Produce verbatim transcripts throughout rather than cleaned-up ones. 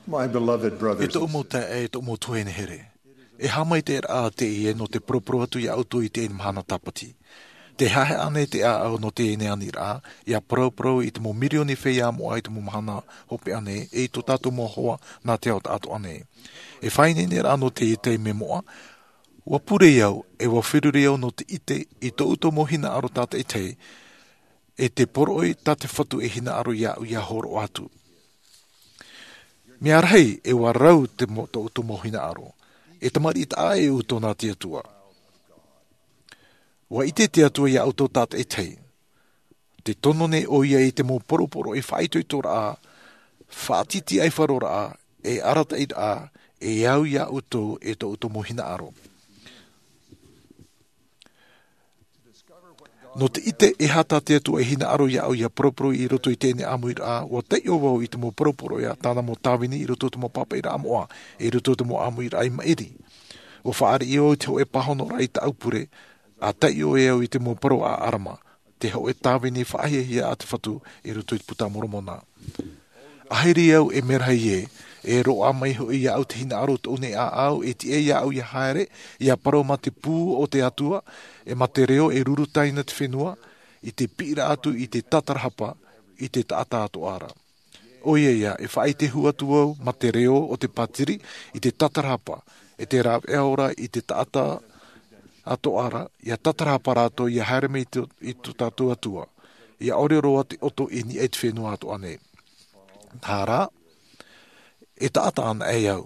My beloved e brothers tōʻu and mau sisters, taeaʻe, e tōʻu mau tuahine here, e haʻamaitaʻiraʻa teie nō te poroporo atu iā ʻoutou i teie mahana tāpati. Tē haʻehaʻa nei te ʻāʻau nō teie aniraʻa, ʻia paraparau i te mau mirioni feiā moʻa i te mau mahana hopeʻa nei, e i tō tātou mau hoa nā te ao taʻatoʻa nei. E faʻaineineraʻa nō teie taime moʻa, ʻua pure au, e ʻua feruri au nō te ʻite i tō ʻoutou mau hinaʻaro tātaʻitahi, e te poroʻi tā te Fatu e hinaʻaro iāʻu ʻia hōroʻa atu. Mea rahi, e ʻua rau te mo-, tō ʻoutou mau hinaʻaro. E tamariʻi taʻa ʻē ʻoutou nā te Atua. ʻUa ʻite te Atua iā ʻoutou tātaʻitahi. Tē tono nei ʻoia i te mau poroporoʻi faʻaitoitoraʻa, faʻatītīʻaifaroraʻa, e arataʻiraʻa, e au iā ʻoutou e tō ʻoutou mau hinaʻaro. Nō te ʻite e aha tā te Atua e hinaʻaro iāʻu ʻia poroporo i roto i teie ʻāmuiraʻa, ʻua taiʻo vau i te mau poroporoʻi a tāna mau tāvini i roto i te mau pāpaʻiraʻa moʻa, i roto i te mau ʻāmuiraʻa i maʻiri. ʻUa fāriʻi au i te hōʻē pāhonoraʻa i tāʻu pure, ʻa taiʻo e au i te mau parau a ʻAlama, te hōʻē tāvini faʻahiahia a te Fatu i roto i te Puta a Moromona. ʻAhiri au e mea rahi ē, e roaʻa mai hoʻi iāʻu te hinaʻaro tōʻu nei ʻāʻau, e tiʻa iāʻu ʻia haere, ʻia parau mā te pū o te Atua, e mā te reo e ruru taina te fenua, i te piʻiraʻa atu i te tātarahapa, i te taʻata atoʻa ra. ʻOia ia, e faʻaʻite hou atu au, mā te reo o te pātiri, i te tātarahapa, e te rāveʻa ora i te taʻata atoʻa ra, ʻia tātarahapa rātou, ʻia haere mai i tō, i tō tātou Atua, ʻia ʻore roa te ʻoto i niʻa i te fenua atoʻa nei. Nā reira, e taʻata anaʻe au,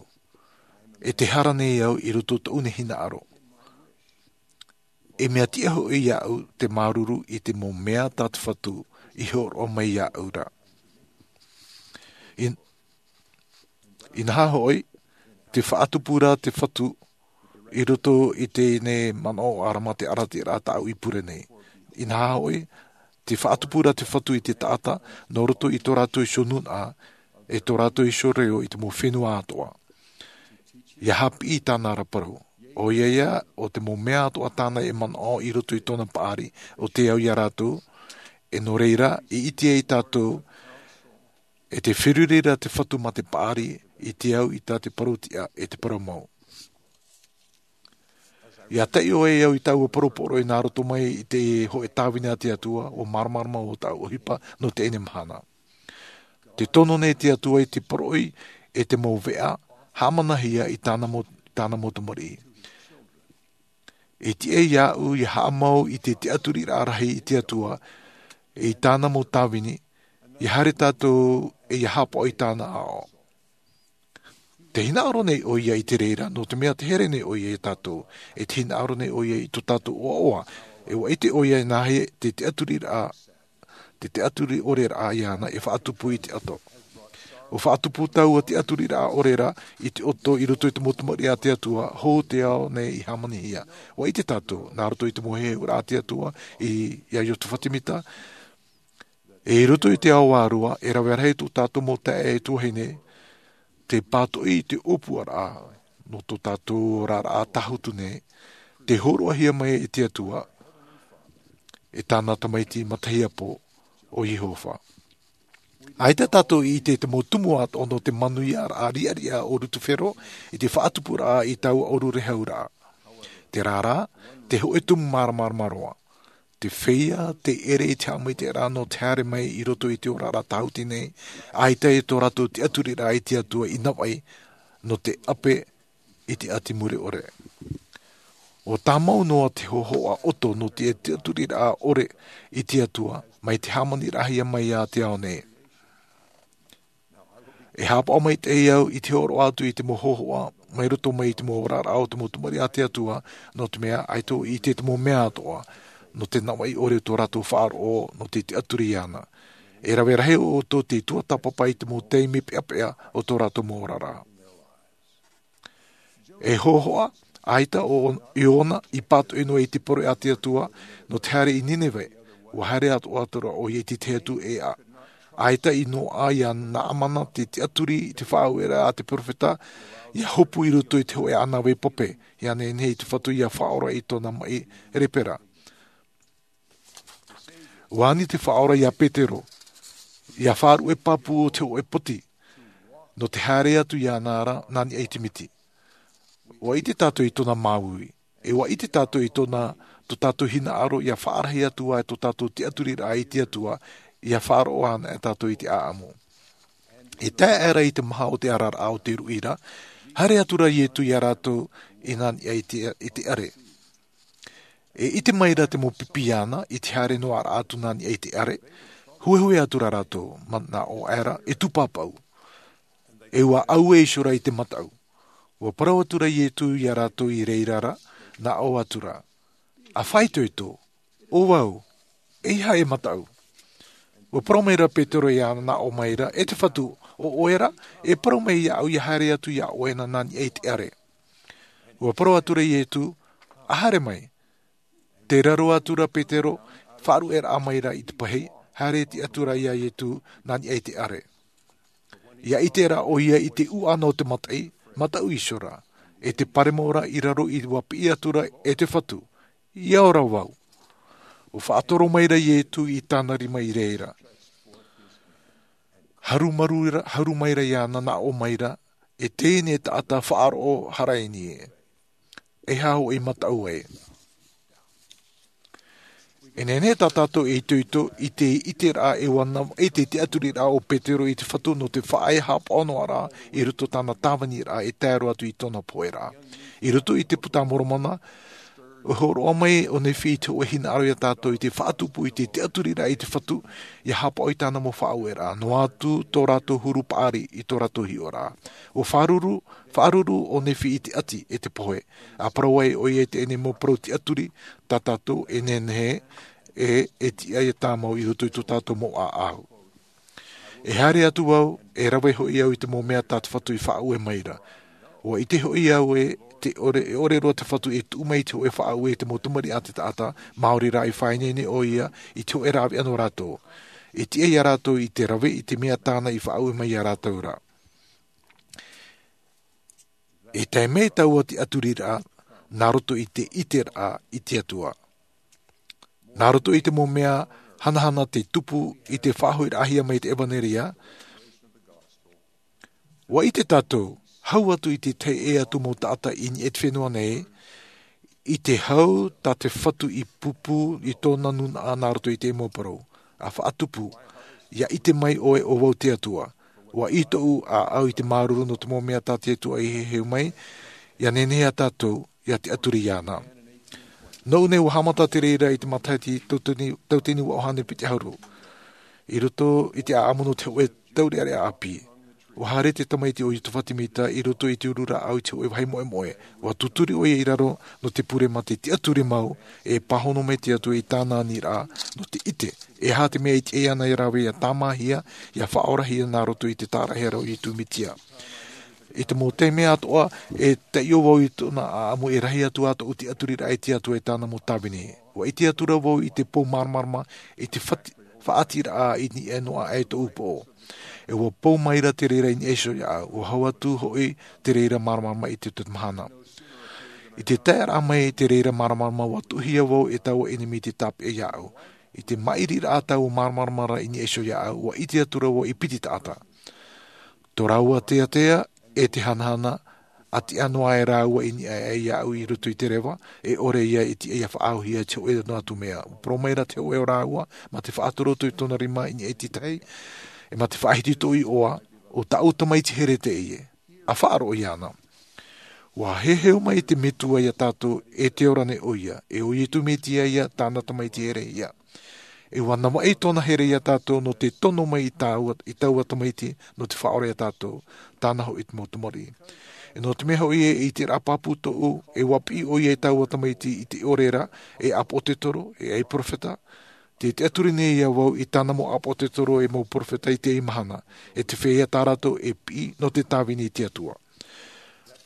e tē hara nei au i roto i tōʻu nei hinaʻaro. E mea tiʻa hoʻi iāʻu te māuruuru i te mau mea tā te Fatu i hōroʻa mai iāʻu ra. In-, inaha hoʻi, tē faʻatupu ra te Fatu i roto i teie nei manaʻo a ʻAlama, te arataʻiraʻa tāʻu i pure nei. Inaha hoʻi, tē faʻatupu ra te Fatu i te taʻata, nō roto i tō rātou iho nūnaʻa, e tō rātou iho reo i te mau fenua atoʻa. ʻIa haʻapiʻi i tāna ra parau. ʻOia ia, ʻo te mau mea atoʻa tāna e manaʻo i roto i tōna paʻari, ʻo tē au iā rātou, e nō reira, i ʻite ai tātou, e tē feruri ra te Fatu mā te paʻari, i te au i tā te parau-tiʻa, e te parau mau. ʻIa taiʻo ai au i taua poroporoʻi nā roto mai i te hōʻē tāvini a te Atua, ʻua māramarama ʻo tāʻu ʻohipa nō teie mahana. Tē tono nei te Atua i te poroʻi e te mau veʻa haʻamanahia i tāna mau, tāna mau tamariʻi. E tiʻa iāʻu ʻia haʻamau i te tiʻaturiraʻa rahi i te Atua, i tāna mau tāvini, ʻia haere tātou e ʻia haʻapaʻo i tāna aʻo. Tē hinaʻaro nei ʻoia i te reira, nō te mea tē here nei ʻoia iā tātou, e tē hinaʻaro nei ʻoia i tō tātou ʻoaʻoa, e ʻua ʻite ʻoia e nāhea te tiʻaturiraʻa, te tiʻaturi ʻore ra iāna e faʻatupu i te ʻoto. ʻUa faʻatupu taua tiʻaturiraʻa ʻore ra i te ʻoto i roto i te mau tamariʻi a te Atua, hou te ao nei i hāmanihia. ʻUa ʻite tātou, nā roto i te mau heheuraʻa a te Atua, i, iā Iosepha Semita, e i roto i te ao vārua, e rave rahi tō tātou mau taeaʻe e tuahine, tē pātoʻi i te ʻōpuaraʻa, nō tō tātou oraraʻa tāhutu nei, tē hōroʻahia mai e te Atua, e tāna tamaiti matahiapo, ʻo Iehova. ʻAita tātou i ʻite i te mau tumu atoʻa nō te manuiaraʻa riʻariʻa o Lutifero, i te faʻatupuraʻa i taua ʻōrurehau ra. Terā rā, te hōʻē tumu māramarama roa. Te feiā tē ʻere i te haʻamaitaʻiraʻa nō te haere mai i roto i te oraraʻa tāhuti nei, ʻaita e tō rātou tiʻaturiraʻa i te Atua i navaʻi, nō te ʻape i te ʻati mure ʻore. ʻUa tāmau noa te hōhoʻa ʻoto nō te tiʻaturiraʻa ʻore i te Atua, mai te hāmaniraʻahia mai iā te ao nei. E haʻapaʻo maitaʻi au i te hōroʻa atu i te mau hōhoʻa, mai roto mai i te mau oraraʻa o te mau tamariʻi a te Atua, nō te mea, ʻaita ʻoe i ʻite i te mau mea atoʻa, nō te navaʻi ʻore o tō rātou faʻaroʻo, nō te tiʻaturi iāna. E rave rahi ʻoutou tei tuatāpapa i te mau taime peʻapeʻa o tō rātou mau oraraʻa. E hōhoʻa, ʻaita ʻo Iona i pātoʻi noa i te pure a te Atua, nō te haere i Nineve, ʻua haere atoʻa ra ʻoia i te tahi atu ʻēʻa. ʻAita i noaʻa iā Naamana te tiʻaturi i te faʻaueraʻa a te perofeta, ʻia hopu i roto i te hōʻē ʻānāvai pape, ʻia nehenehe i te Fatu ʻia faʻaora i tōna maʻi lepera. ʻUa ani te Faʻaora iā Petero, ʻia faʻaruʻe pāpū o te hōʻē poti, nō te haere atu iāna ra nā niʻa i te miti. Ua ʻite tātou i tōna māuiui, e ua ʻite tātou i tōna, tō tātou hinaʻaro ia faʻarahi atu ai tō tātou tiʻaturiraʻa i te Atua, ia faʻaroʻo ana e tātou i te ʻaʻamu. E tae aʻera i te maha o te araraʻa o te ruʻi ra, haere atu ra Ietu iā rātou i nā niʻa i te, i te ʻare. E ʻite mai ra te mau pipi iāna i te haere noa ra atu nā niʻa i te ʻare, huehue atu ra rātou, manaʻo aʻera, e tūpāpaʻu. E ua ʻaue iho ra i te mataʻu. Ua parau atu ra Ietu iā rātou i reira ra, nā ʻō atu ra, ʻA faʻaitoito, ʻo vau, ʻeiaha e mataʻu. Ua parau mai ra Petero iāna, nā ʻō mai ra, E te Fatu, ʻo ʻoe ra, e parau mai iāʻu ia haere atu iā ʻoe na nā niʻa i te ʻare. Ua parau atu ra Ietu, ʻA haere mai. Tē raro atu ra Petero, faʻaruʻeraʻa mai ra i te pahi, haere atu ra iā Ietu nā niʻa i te ʻare. Ia ʻite ra ʻoia i te ʻūʻana o te mataʻi, mataʻu iho ra, e te paremo ra i raro i ua piʻi atu ra, E te Fatu, ia ora vau. Ua faʻatoro mai ra Ietu i tāna rima i reira. Harumaru ra, haru mai ra iāna, nā ʻō mai ra, E teie nei taʻata faʻaroʻo haraini ē. E aha hoʻi mataʻu ai? E nehenehe tā tātou e itoito i te ʻiteraʻa e ua navaʻi te tiʻaturiraʻa o Petero i te Fatu nō te faʻaea haʻapaʻo noa ra i roto tāna tāviniraʻa e tae roa atu i tōna poheraʻa. I roto i te Puta a Moromona, ʻua hōroʻa mai ʻo Nephi i te hōʻē hinaʻaro iā tātou i te faʻatupu i te tiʻaturiraʻa i te Fatu, ia haʻapaʻo i tāna mau faʻaueraʻa, noa atu tō rātou huru paʻari i tō rātou hiʻoraʻa. ʻUa faʻaruru, faʻaruru ʻo Nephi i te ʻati e te pohe, ʻa parau ai ʻoia i teie nei mau parau tiʻaturi, tā tātou e nehenehe e, e tiʻa ia tāmau i roto i tō tātou mau ʻāʻau. E haere atu au, e rave hoʻi au i te mau mea tā te Fatu i faʻaue mai ra. ʻUa ʻite hoʻi au e te ʻore, e ʻore roa te Fatu e tuʻu mai i te hōʻē faʻaue i te mau tamariʻi a te taʻata, maori rā i faʻaineine ʻoia i te hōʻē rāveʻa nō rātou. E tiʻa ia rātou i te rave i te mea tāna i faʻaue mai iā rātou ra. E tae mai taua tiʻaturiraʻa, nā roto i te ʻiteraʻa i te Atua. Nā roto i te mau mea hanahana tei tupu i te faʻahoʻiraʻahia mai te ʻevanelia, ʻua ʻite tātou, hau atu i te tahi ʻē atu mau taʻata i niʻa i te fenua nei, i te hau tā te Fatu i pūpū i tōna nūnaʻa nā roto i te mau parau, ʻa faʻatupu, ia ʻite mai ʻoe ʻo vau te Atua. ʻUa ʻī tōʻu ʻāʻau i te māuruuru nō te mau mea tā te Atua i heheu mai, ia nehenehe ā tātou, ia tiʻaturi iāna. Nōʻu nei ʻua haʻamata te reira i te matahiti tauatini, tauatini ua ʻohane piti ʻahuru. I roto i te ʻaʻamu nō te hōʻē taureʻareʻa ʻāpī. ʻUa haere te tamaiti ʻo Iosepha Semita i roto i te uru rāʻau i te hōʻē vāhi moʻemoʻe. ʻUa tūturi ʻoia i raro nō te pure mā te tiʻaturi mau e pāhono mai te Atua i tāna aniraʻa nō te ʻite. E aha te mea e tiʻa ana ia rāveʻa ia tāmāhia, ia faʻaorahia nā roto i te tāraʻehara o Iesu Mesia. I te mau taime atoʻa, e taiʻo vau i tōna ʻaʻamu e rahi atu ā tōʻu tiʻaturiraʻa i te Atua e tāna mau tāvini. ʻUa ʻite atu ra vau i te pou māramarama, i te fati-, faʻatiraʻa i niʻa noa aʻe tōʻu poʻo. E ʻua pou mai ra te reira i niʻa iho iāʻu, ʻua hau atu hoʻi te reira māramarama i te tahi mahana. I te taeraʻa mai te reira māramarama ʻua tuʻuhia vau e taua ʻenemi i te tāpeʻa iāʻu. I te maʻiriraʻa taua māramarama ra i niʻa iho iāʻu, ʻua ʻite atu ra vau i piti taʻata. Tō rāua teatea, e te hanahana, ʻa tiʻa noa aʻe rāua i niʻa aʻe iāʻu i roto i te reva, e ʻore ia e tiʻa ia faʻaauhia i te hōʻē noa atu mea. ʻUa parau mai ra te hōʻē o rāua, mā te faʻatorotoru i tōna rima i niʻa i te tahi, e mā te faʻahiti tōʻu iʻoa, ʻo tāʻu tamaiti here teie. ʻA faʻaroʻo iāna. ʻUa heheu mai te Metua iā tātou, e te ora nei ʻoia, e ʻo Iesu Mesia ia, tāna tamaiti here ia. E ʻua navaʻi tōna here iā tātou nō te tono mai i taua, i taua tamaiti, nō te faʻaora iā tātou, tāna hoʻi te mau tamariʻi. E nō te mea hoʻi e, i te ʻiteraʻa pāpū tōʻu, e ʻua piʻi ʻoia i taua tamaiti i te ʻore ra, e ʻāpōsetolo, e ʻai perofeta, tē tiʻaturi nei au vau i tāna mau ʻāpōsetolo e mau perofeta i teie mahana, e te feiā tā rātou e piʻi nō te tāvini i te Atua.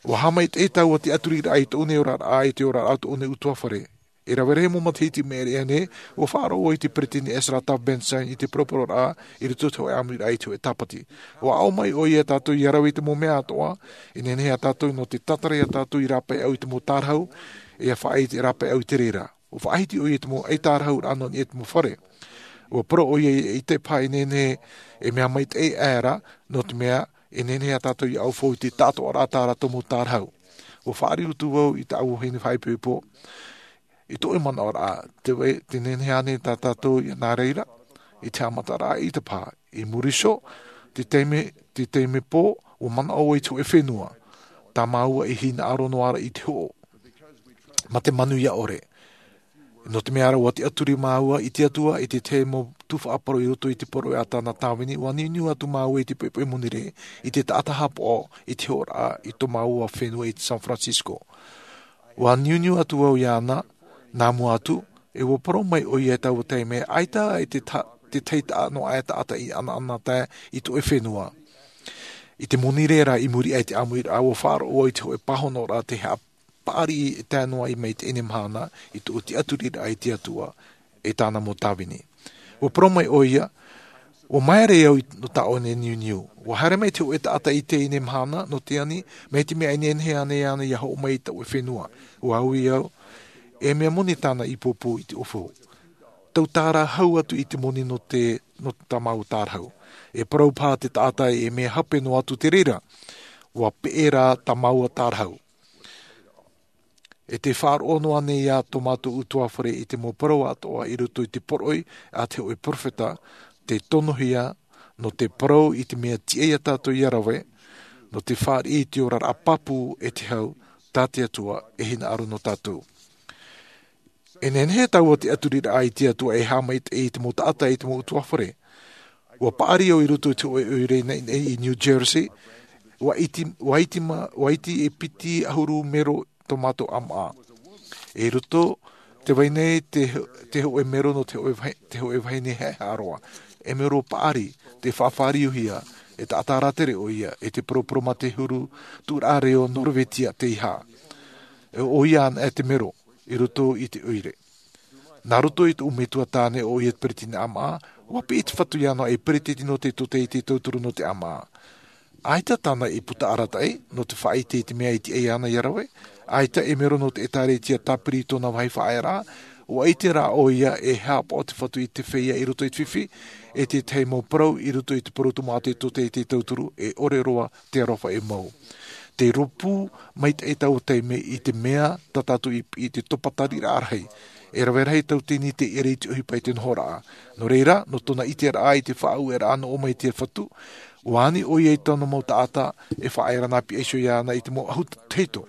ʻUa haʻamaitaʻi taua tiʻaturiraʻa i tōʻu nei oraraʻa, i te oraraʻa o tōʻu nei ʻutuāfare. E rave rahi mau matahiti i maʻiri aʻe nei, ʻua faʻaroʻo i te peretiteni Ezra Taft Benson i te poropororaʻa i roto i te hōʻē ʻāmuiraʻa i te hōʻē Tāpati. ʻUa aʻo mai ʻoia iā tātou ʻia rave i te mau mea atoʻa, e nehenehe ā tātou nō te tātara iā tātou i rāpae au i te mau tārahu, e ʻia faʻaʻite rāpae au i te reira. ʻUa faʻahiti ʻoia i te mau ʻaitārahuraʻa nō niʻa i te mau fare. ʻUa parau ʻoia i te pae e nehenehe e mea maitaʻi aʻera, nō te mea E nehenehe ā tātou ia ʻaufau i te taʻatoʻaraʻa tā rātou mau tārahu. Ua faʻariʻi atu vau i tāʻu vahine faʻaipoipo i tōʻu manaʻoraʻa, te vai te nehenehe ānei tā tātou ia nā reira i te haʻamataraʻa i te pā. I muri iho te taime te taime pō ua manaʻo vau i te hoʻe fenua tā māua i hinaʻaro noa ra i te hoʻo ma te manuia ʻore. Nō te mea rā ua tiʻaturi māua i te atua i te tahi mau tūfaʻaparau i roto i te poroʻi a tāna tāvini, ua niuniu atu māua i te poipoi monirē i te taʻata hapaʻo i te hoʻoraʻa i tō māua fenua i te san francisco. Ua niuniu atu vau iāna nā mua atu, e ua parau mai ʻoia i taua taime ʻaita i te tahi taʻa noa aʻe taʻata i ʻanaʻanatae i tōʻu fenua. I te monirē rā i muri aʻe i te ʻāmuiraʻa ua faʻaroʻo vau i te hoʻe pāhonoraʻa te haʻapaʻari e tae noa i maitaʻi nei mahana i tōʻu tiʻaturiraʻa i te atua e tāna mau tāvini. Ua parau mai ʻoia, ua maere au nō tāʻu nei niuniu. Ua haere mai te hoʻe taʻata i teie nei mahana nō te ani mai te mea e nehenehe ānei ia hoʻo mai i tōʻu fenua. Ua ui au, e mea moni tāna i pōpō i te ʻōfau. Tau tārahu atu i te moni nō te nō tā māua tārahu. E parau paha te taʻata e mea hape noa atu te reira. Ua peʻe rā tā māua tārahu. E te faʻaroʻo noa nei ia tō mātou utuafare i te mau parau atoʻa i roto i te poroʻi a te hoʻe peropheta te tonohia nō te parau i te mea tiʻa ia tātou ia rave nō te faʻariʻi i te oraraʻa pāpū e te hau tā te atua e hinaʻaro nō tātou. E nehenehe taua tiʻaturiraʻa i te atua e haʻamaitaʻi i te mau taʻata i te mau utuafare. Ua paʻari au i roto i te hoʻe ʻoire naʻinaʻi i new jersey. Ua iti ua iti ma ua iti e piti ʻahuru mero tō mātou ʻamaʻa. I roto te vai nei te hoʻe mero nō te hoʻe vahine haʻehaʻa roa. E mero paʻari te faʻafāriuhia e taʻata rātere ʻoia e te poroporo mā te huru tuʻuraʻa reo norvetia te iha. E ʻoia ana e te mero i roto i te ʻoire. Nā roto i tōʻu metua tāne ʻoia te peretiteni ʻamaʻa. Ua piʻi te fatu iāna e peretiteni nō te tōtaiete tauturu nō te ʻamaʻa. ʻAita tāna i puta arataʻi nō te faʻaite i te mea i tiʻa iāna ia rave. ʻAita e mero nō te ʻētāretia tāpiri i tōna vāhi faʻaearaʻa. Ua ʻite rā ʻoia e haʻapaʻo te fatu i te feiā i roto i te fifi e tētahi mau parau i roto i te porotu mā te tōtaiete tauturu e ʻore roa te aroha e mau. Te rōpū maitaʻi taua taime i te mea tā tātou i piʻi te topa tariraʻa rahi. E rave rahi tauatini te ʻere i te ʻohipa i te nohoraʻa. Nō reira nō tōna ʻiteraʻa i te faʻaueraʻa nō ʻō mai te fatu, ua ani ʻoia i tōna mau taʻata e faʻaera nā piʻa iho iāna i te mau ʻahu tahito.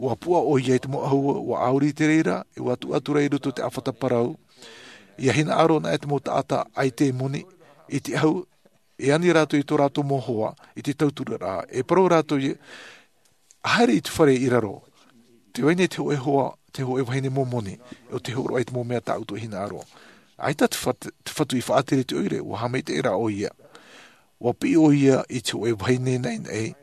Ua puʻa ʻoia i te mau ʻahu ua ʻauri te reira e ua tuʻu atu rā i roto i te ʻāfata parau. Ia hinaʻaro ana e te mau taʻata ʻaita e moni i te ʻahu e ani rātou i tō rātou mau hoa i te tauturu rā e parau rātou ia haere i te fare i raro. Te vai nei te hoʻe hoa te hoʻe vahine momoni o te horoʻa i te mau mea tāʻutu e hinaʻaro. ʻAita te fatu i faʻatere te ʻoire ua haʻamaitaʻi rā ʻoia. Ua piʻi ʻoia i te hoʻe vahine naʻinaʻi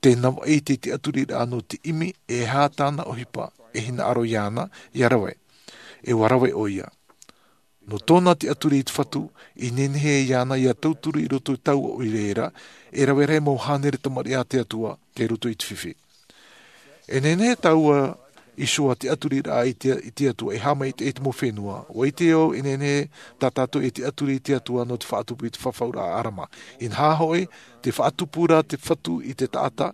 te navaʻi i te tiʻaturiraʻa nō te ʻimi e hā tāna ʻohipa e hinaʻaro iāna ia rave. E ua rave ʻoia. Nō tōna tiʻaturi i te fatu i nehenehe iāna ia tauturu i roto i taua ʻoire era e rave rahi mau hānere tamariʻi a te atua te roto i te fifi. E nehenehe taua iho tiʻaturiraʻa i te atua e haʻamaitaʻi i te mau fenua ua ʻite au e nehenehe tā tātou e tiʻaturi i te atua nō te faʻatupu i te fafauraʻa ʻarama. Inaha hoʻi te faʻatupu rā te fatu i te taʻata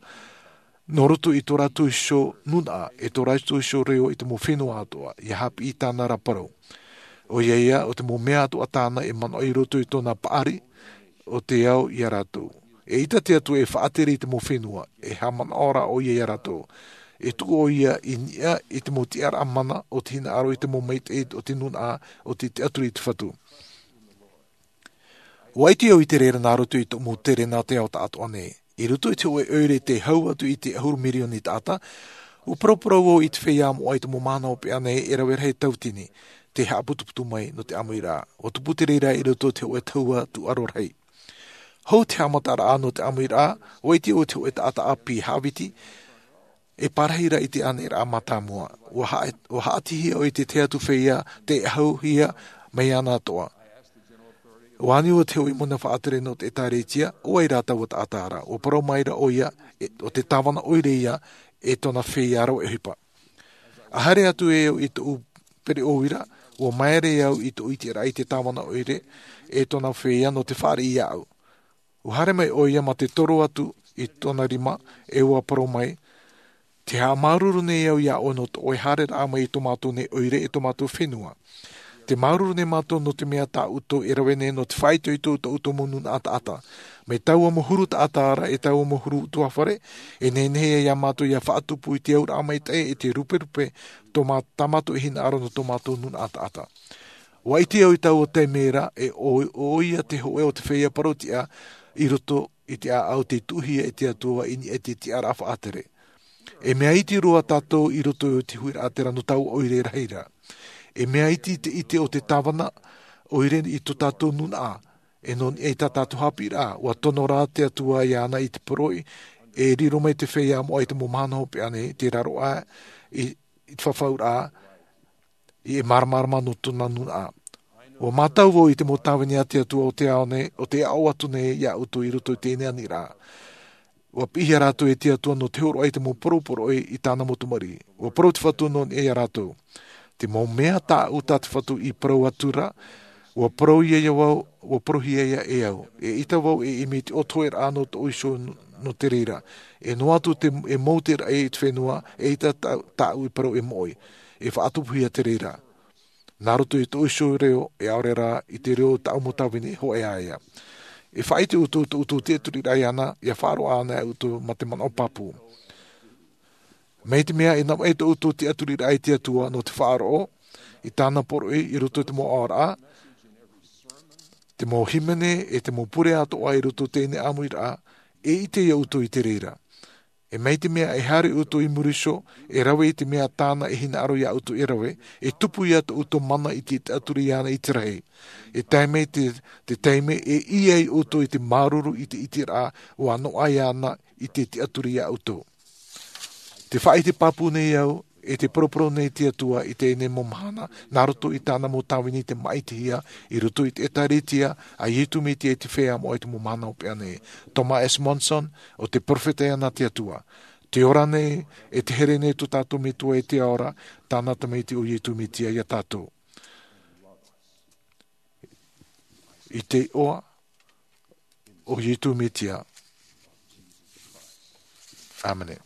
nō roto i tō rātou iho nūnaʻa e tō rātou iho reo i te mau fenua atoʻa ia haʻapiʻi i tāna rā parau. ʻOia ia o te mau mea atoʻa tāna e manaʻo i roto i tōna paʻari o te ao ia rātou. E ʻita te atua e faʻatere i te mau fenua e haʻamanaʻo rā ʻoia ia rātou. E tuʻu ʻoia i niʻa i te mau tiʻaraʻa mana o te hinaʻaro i te mau maitaʻi o te nūnaʻa o te tiʻaturi i te fatu. Ua ʻite au i te reira nā roto i tōʻu mau tere nā te ao taʻatoʻa nei. I roto i te hoʻe ʻoire te hau atu i te ʻahuru mirioni taʻata, ua paraparau au i te feiā moʻa i te mau mahana hopeʻa nei e rave rahi tauatini te haʻaputuputu mai nō te ʻāmuiraʻa. Ua tupu te reira i roto i te hoʻe tahua tūʻaro rahi. Hou te haʻamataraʻa nō te ʻāmuiraʻa ua ʻite au i te hoʻe taʻata ʻāpī haʻaviti e pārahi rā i te aniraʻa mātāmua. Ua haʻatihia au i te tahi atu feiā te ʻahuhia mai ana atoʻa. Ua ani ua te hoʻi mona faʻatere nō te ʻētāretia ʻo vai rā taua taʻata ra ua parau mai rā ʻoia o te tāvana ʻoire ia e tōna feiā rave ʻohipa. A haere atu e au i tōʻu pereʻo ira ua maere au i tōʻu ʻiteraʻa i te tāvana ʻoire e tōna feiā nō te fāriʻi iāʻu. Ua haere mai ʻoia mā te toro atu i tōna rima, e ua parau mai, te haʻamāuruuru nei au iā ʻoe nō tō ʻoe haereraʻa mai i tō mātou nei ʻoire e tō mātou fenua. Te māuruuru nei mātou nō te mea tā ʻoutou e rave nei nō te faʻaitoito i tō ʻoutou mau nūnaʻa taʻata. Mai taua mau huru taʻata ra e taua mau huru ʻutuāfare, e nehenehe iā mātou ia faʻatupu i te auraʻa maitaʻi e te ruperupe tō mā-, tā mātou e hinaʻaro nō tō mātou nūnaʻa taʻata. Ua ʻite au i taua taime ra, e ʻo, ʻoia te hōʻē o te feiā parautiʻa i roto i te ʻāʻau tei tuʻuhia e te Atua i niʻa i te tiʻaraʻa faʻatere. E mea iti roa tātou i roto i te huiraʻatira nō taua ʻoire rahi ra. E mea iti te ʻite o te tāvana ʻoire i tō tātou nūnaʻa, e nō niʻa i tā tātou haʻapiʻiraʻa, ua tono rā te Atua iāna i te poroʻi, e riro mai te feiā moʻa i te mau mahana hopeʻa nei, te raroʻa, i, i te fafauraʻa, i e māramarama nō tōna nūnaʻa. Ua mātau vau i te mau tāvini a te Atua o te ao nei, o te aʻo atu nei iā ʻoutou i roto i teie nei aniraʻa. Ua piʻihia rātou e te Atua nō te hōroʻa i te mau poroporoʻi i tāna mau tamariʻi. Ua parau te Fatu nō niʻa iā rātou. Te mau mea tāʻu tā te Fatu i parau atu ra, ua parauhia ia vau, ua parauhia ia e au. E ʻita vau e ʻimi i te ʻotoheraʻa nō tōʻu iho nō te reira. E noa atu te, e mau te raʻi i te fenua, e ʻita tā, tāʻu i parau e moʻe. E faʻatupuhia te reira. Nā roto i tōʻu iho reo, e ʻaore rā i te reo o tāʻu mau tāvini, hōʻē ā ia. E faʻaʻite ʻoutou tō ʻoutou tiʻaturiraʻa iāna, ʻia faʻaroʻo anaʻe ʻoutou mā te manaʻo pāpū. Mai te mea e navaʻi tō ʻoutou tiʻaturiraʻa i te Atua nō te faʻaroʻo i tāna poroʻi i roto i te mau aʻoraʻa, te mau hīmene e te mau pure atoʻa i roto i teie nei ʻāmuiraʻa, e ʻite ia ʻoutou i te reira. E mai te mea e haere ʻoutou i muri iho, e rave i te mea tāna e hinaʻaro iā ʻoutou e rave, e tupu ia tō ʻoutou mana i te tiʻaturi iāna i te rahi. E tae mai te, te taime e ʻī ai ʻoutou i te māuruuru i te ʻiteraʻa ua noaʻa iāna i te tiʻaturi iā ʻoutou. Te faʻaʻite pāpū nei au, e te poroporo nei te Atua i teie nei mau mahana, nā roto i tāna mau tāvini i te maʻitihia, i roto i te ʻĒtārētia a Iesu Mesia i te feiā moʻa i te mau mahana hopeʻa nei. Thomas S. Monson, ʻo te perofeta iāna te Atua. Te ora nei, e te here nei tō tātou Metua i te ao ra, tāna Tamaiti ʻo Iesu Mesia iā tātou. I te iʻoa o Iesu Mesia. ʻĀmene.